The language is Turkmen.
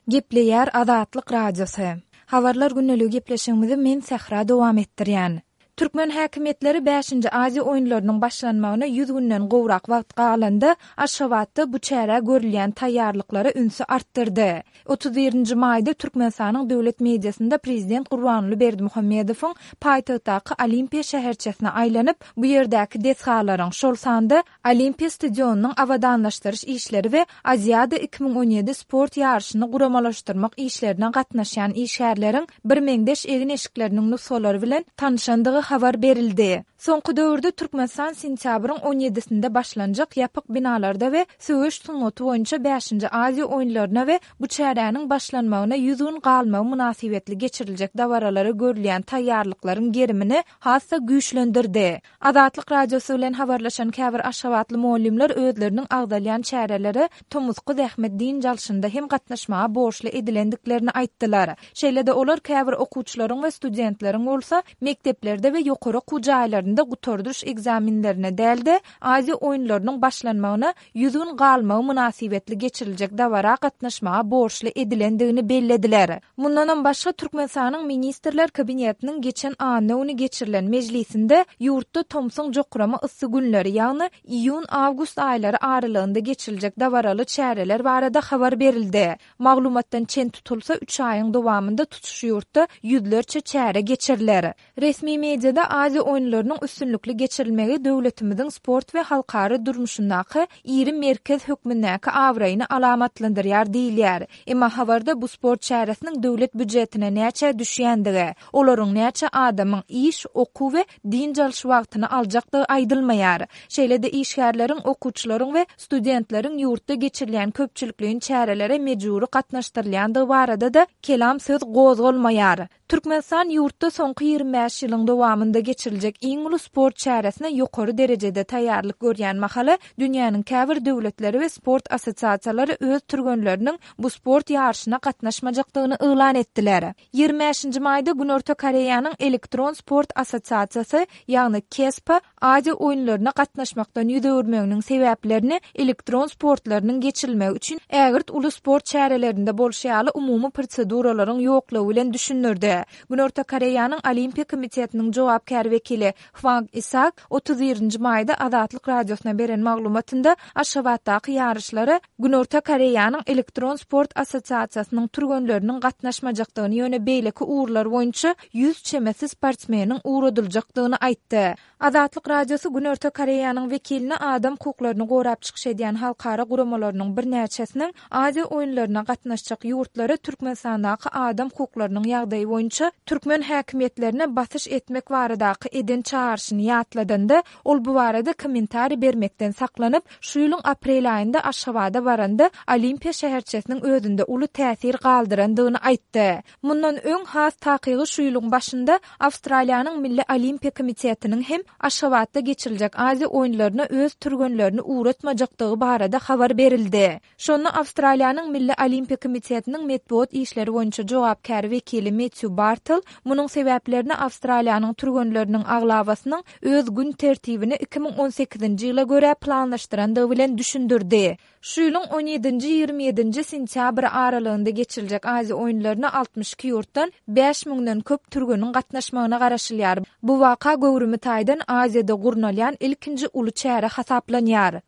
Gepleýär Azatlyk Radiosy. Habarlar gündeligi gepleşigimizi men Sähra dowam etdirýän. Türkmen häkimiýetleri bäşinji Aziýa oýunlarynyň başlanmagyna 100 günden gowrak wagt galanda, Aşgabatda bu çärä görülýän taýýarlyklara ünsi artdyrdy. 31-nji maýda Türkmenistanyň döwlet mediasynda prezident Gurbanguly Berdimuhamedowyň paýtagtdaky Olimpiýa şäherçesine aýlanyp, bu ýerdäki desgalaryň, şol sanda Olimpiýa stadionynyň abadanlaşdyryş işleri we Aziada 2017 sport ýaryşyny guramalaşdyrmak işlerine gatnaşýan işgärleriň birmeňzeş egin-eşikleriniň nusgalary bilen tanyşandygy habar berildi. Soňky döwürde Türkmenistan sentýabryň on ýedisinde başlanjak ýapyk binalarda we söweş sungaty boýunça bäşinji Aziýa oýunlaryna we bu çäräniň başlanmagyna 100 gün galmagy mynasybetli geçiriljek dabaralara görülýän taýýarlyklaryň gerimini has-da güýçlendirdi. Azatlyk Radiosy bilen habarlaşan käbir aşgabatly mugallymlar özleriniň agzalýan çärelere tomusky zähmet dynç alşynda hem gatnaşmaga borçly edilendiklerini aýtdylar. Şeýle-de olar käbir okuwçylaryň we studentleriň bolsa mekdeplerde we ýokary okuw jaýlarynda gutardyş ekzamenlerine däl-de, Aziýa oýunlarynyň başlanmagyna 100 gün galmagy mynasybetli geçiriljek dabara gatnaşmaga borçly edilendigini bellediler. Mundanam başga, Türkmenistanyň Ministrler Kabinetiniň geçen anna güni geçirilen mejlisinde ýurtda tomsuň jokrama yssy günleri, ýagny iýun-awgust aýlary aralygynda geçiriljek dabaraly çäreler barada habar berildi. Maglumatdan çen tutulsa, üç aýyň dowamynda tutuş ýurtda ýüzlerçe çäre geçiriler. Resmi mediada Aziýa oýunlarynyň üstünlikli geçirilmegi döwletimiziň sport we halkara durmuşyndaky iri merkez hökmündäki abraýyny alamatlandyrýar diýilýär. Emma habarda bu sport çäresiniň döwlet býujetine näçä düşýändigi, olaryň näçe adamyň iş, okuw we dynç alyş wagtyny aljakdygy aýdylmaýar. Şeýle-de işgärleriň, okuwçylaryň we studentleriň ýurtda geçirilýän köpçülikleýin çärelere mejbury gatnaşdyrylýandygy barada-da kelam söz gozgalmaýar. Türkmenistan ýurtda soňky 25 ýylyň dowamynda geçiriljek iň uly sport çäresine ýokary derejede taýýarlyk görýän mahaly, dünýäniň käbir döwletleri we sport assosiasiýalary öz türgenleriniň bu sport ýaryşyna gatnaşmajakdygyny yglan etdiler. 25-nji maýda Günorta Koreýanyň Elektron sport assosiasiýasy, ýagny KESPA, Aziýa oýunlaryna gatnaşmakdan ýüz öwürmeginiň sebäplerini elektron sportlarynyň geçirilmegi üçin ägirt uly sport çärelerinde bolşy ýaly umumy proseduralaryň ýoklugy bilen düşündirdi. Günorta Koreýanyň Olimpiýa komitetiniň jogapkär wekili Hwang Isak 31-nji maýda Azatlyk Radiosyna beren maglumatynda Aşgabatdaky ýaryşlara Günorta Koreýanyň Elektron sport assosiasiýasynyň türgenleriniň gatnaşmajakdygyny ýöne beýleki ugurlar boýunça 100 çemesi sportsmeniň ugradyljakdygyny aýtdy. Azatlyk Radiosy Günorta Koreýanyň wekiline adam hukuklaryny gorap çykyş edýän halkara guramalarynyň birnäçesiniň Aziýa oýunlaryna gatnaşjak ýurtlara Türkmenistandaky adam hukuklarynyň ýagdaýy boýunça türkmen häkimiýetlerine basyş etmek baradaky eden çagyryşyny ýatladanda, ol bu barada kommentariý bermekden saklanyp, şu ýylyň aprel aýynda Aşgabada baranda Olimpiýa şäherçesiniň özünde uly täsir galdyrandygyny aýtdy. Mundan öň, has takygy şu ýylyň başynda Awstraliýanyň Milli Olimpiýa komitetiniň hem Aşgabatda geçiriljek Aziýa oýunlaryna öz türgenlerini ugratmajakdygy barada habar berildi. Şonda Awstraliýanyň Milli Olimpiýa komitetiniň metbugat işleri boýunça jogapkär wekili Metýu Bartel munuň sebäplerini Awstraliýanyň türgenleriniň aglabasynyň öz gün tertibini 2018-nji ýyla görä planlaşdyrandygy bilen düşündirdi. Şu ýylyň on ýedinji, 27-nji sentýabr aralygynda geçiriljek Aziýa oýunlaryna 62 ýurtdan 5 müňden köp türgeniň gatnaşmagyna garaşylýar. Bu waka göwrümi taýdan Aziýada gurnalýan ilkinji uly çäre hasaplanýar.